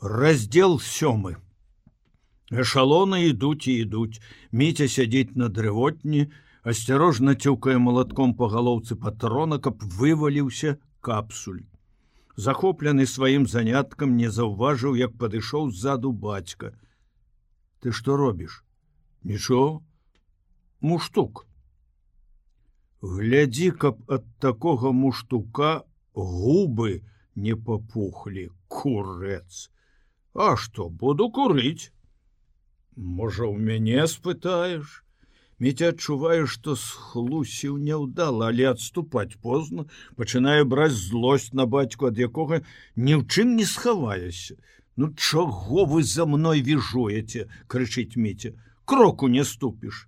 Раздел 7. Эшалоны ідуць і ідуць. Міця сядзіць на дрывотні, асцярожна цюкае малатком па галоўцы патрона, каб вываліўся капсуль. Захоплены сваім заняткам, не заўважыў, як падышоў ззаду бацька. Ты што робіш? Нічого. Муштук. Глядзі, каб ад такога муштука губы не папухлі, курэц. А што, буду курыць? Можа, у мяне спытаеш? Міця адчувае, што схлусіў няўдала, але адступаць позна, пачынае браць злосць на бацьку, ад якога ні ў чым не схаваешся. Ну чаго вы за мной віжуеце, крычыць Міця. Кроку не ступіш.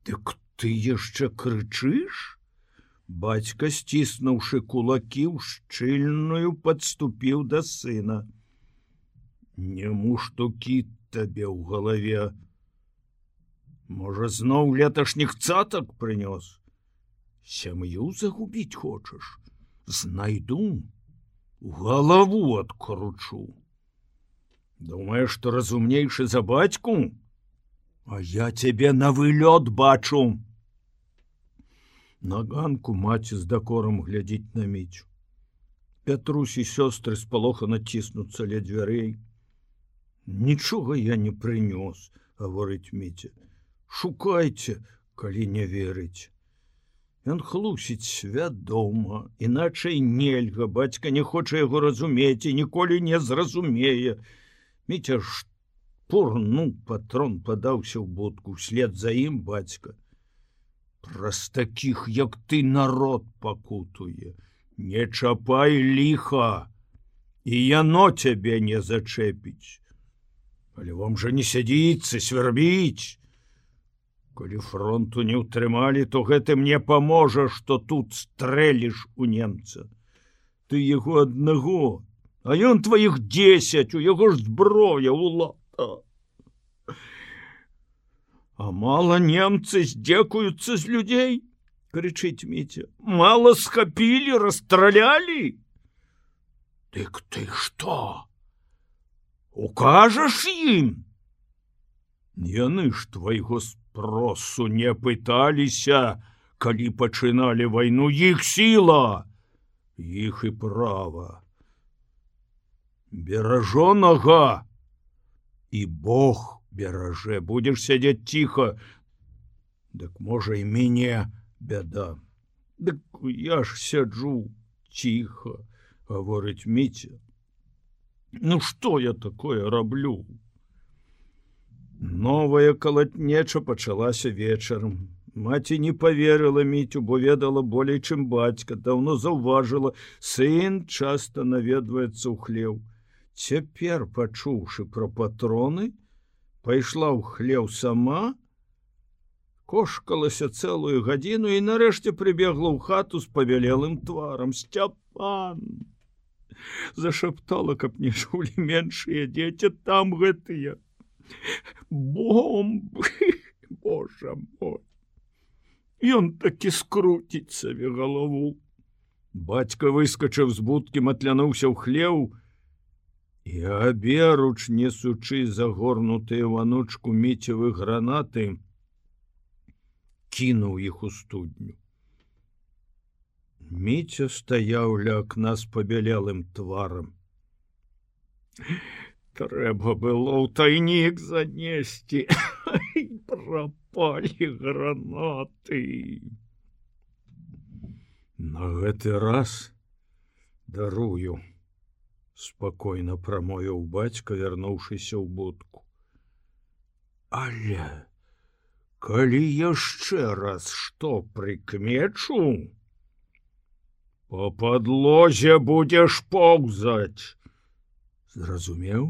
Дык ты яшчэ крычыш? Бацька, сціснуўшы кулакі, шчыльную падступіў да сына. Не муштукі табе ў галаве. Можа, зноў леташніх цатак прынёс? Сям'ю загубіць хочаш? Знайду, галаву адкручу. Думаеш, што разумнейшы за бацьку? А я цябе на вылёт бачу. На ганку маці з дакорам глядзіць на Міцю. Пятрусь і сёстры спалохана ціснуцца ля дзвярэй. Нічога я не прынёс, гаворыць Міця. Шукайце, калі не верыць. Ён хлусіць вядома, іначай нельга, бацька не хоча яго разумець і ніколі не зразумее. Міця шпурнуў патрон, падаўся ў будку, услед за ім бацька. Праз такіх, як ты, народ пакутуе. Не чапай ліха, і яно цябе не зачэпіць. Але вам жа не сядзіцца, свярбіць. Калі фронту не ўтрымалі, то гэта мне паможа, што тут стрэліш у немца. Ты яго аднаго, а ён тваіх 10, у яго ж зброя, улата. А мала немцы здзекуюцца з людзей, крычыць Міця. Мала схапілі, расстралялі. Дык ты што? Укажаш ім? Яны ж твайго спросу не пыталіся, калі пачыналі вайну. Іх сіла, іх і права. Беражонага і Бог бераже. Будзеш сядзець ціха, дык можа і мяне бяда. Дык я ж сяджу ціха, гаворыць Міця. Ну што я такое раблю? Новая калатнеча пачалася вечарам. Маці не паверыла Міцю, бо ведала болей, чым бацька. Даўно заўважыла, сын часта наведваецца ў хлеў. Цяпер, пачуўшы пра патроны, пайшла ў хлеў сама, кошкалася цэлую гадзіну і нарэшце прыбегла ў хату з павялелым тварам. Сцяпан! Зашаптала, каб не чулі меншыя дзеці, там гэтыя бомбы, Божа мой. Ён такі скруціць сабе галаву. Бацька выскачыў з будкі, матлянуўся ў хлеў і, аберуч несучы загорнутыя ў анучку Міцевы гранаты, кінуў іх у студню. Міця стаяў ля акна з пабялелым тварам. Трэба было ў тайнік занесці. Прапалі гранаты. На гэты раз дарую, спакойна прамовіў бацька, вярнуўшыся ў будку. Але калі яшчэ раз што прыкмечу, по падлозе будзеш поўзаць. Зразумеў?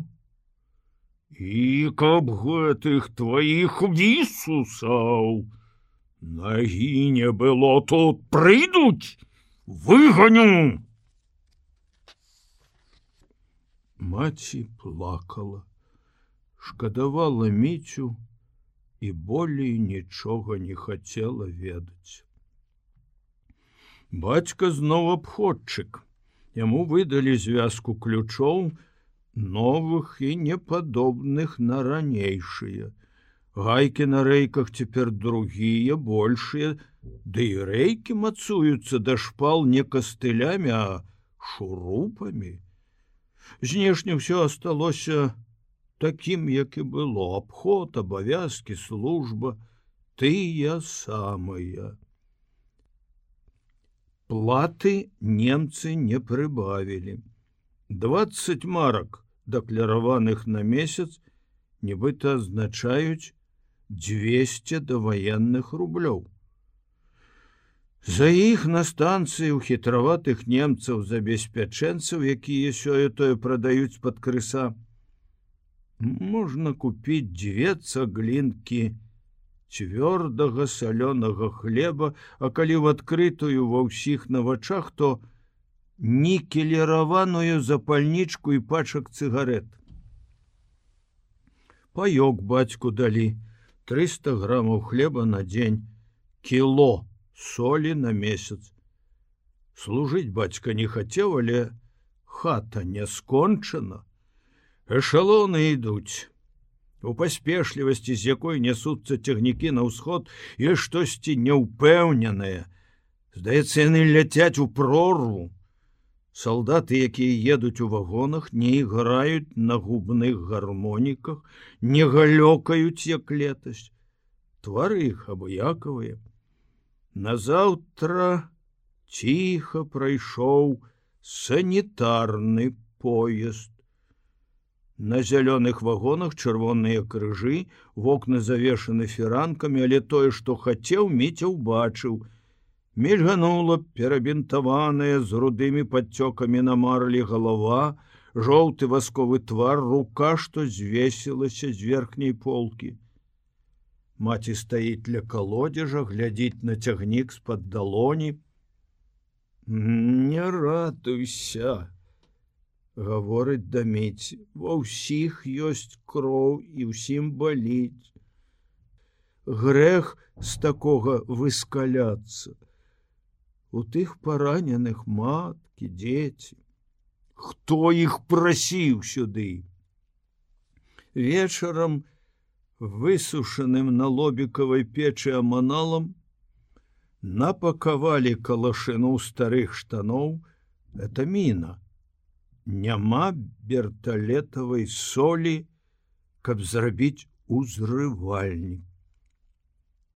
І каб гэтых тваіх вісусаў нагі не было, тут прыйдуць, выганю. Маці плакала, шкадавала Міцю і болей нічога не хацела ведаць. Бацька зноў абходчык. Яму выдалі звязку ключоў, новых і непадобных на ранейшыя. Гайкі на рэйках цяпер другія, большыя, ды і рэйкі мацуюцца да шпал не кастылямі, а шурупамі. Знешне ўсё асталося такім, як і было: абход, абавязкі, служба, тыя самыя. Платы немцы не прыбавілі. 20 марак, дакляраваных на месяц, нібыта азначаюць 200 даваенных рублёў. За іх на станцыі ў хітраватых немцаў забеспячэнцаў, якія сёе-тое прадаюць пад крыса, можна купіць 2 цаглінкі цвёрдага салёнага хлеба, а калі ў адкрытую ва ўсіх на вачах, то нікеліраваную запальнічку і пачак цыгарэт. Паёк бацьку далі: 300 грамаў хлеба на дзень, кіло солі на месяц. Служыць бацька не хацеў, але хата не скончана. Эшалоны ідуць. У паспешлівасці, з якой нясуцца цягнікі на ўсход, ёсць штосьці няўпэўненае. Здаецца, яны ляцяць у прорву. Салдаты, якія едуць у вагонах, не іграюць на губных гармоніках, не галёкаюць, як летась. Твары іх абыякавыя. Назаўтра ціха прайшоў санітарны поезд. На зялёных вагонах чырвоныя крыжы, вокны завешаны фіранкамі, але тое, што хацеў, Міця ўбачыў. Мільганула перабінтаваная з рудымі падцёкамі на марлі галава, жоўты васковы твар, рука, што звесілася з верхняй полкі. Маці стаіць ля калодзежа, глядзіць на цягнік з-пад далоні. Не радуйся, гаворыць да Міці, ва ўсіх ёсць кроў і ўсім баліць. Грэх з такога выскаляцца. У тых параненых маткі, дзеці. Хто іх прасіў сюды? Вечарам, высушаным на лобікавай печы аманалам, напакавалі калашыну старых штаноў. Это міна. Няма берталетавай солі, каб зрабіць узрывальнік.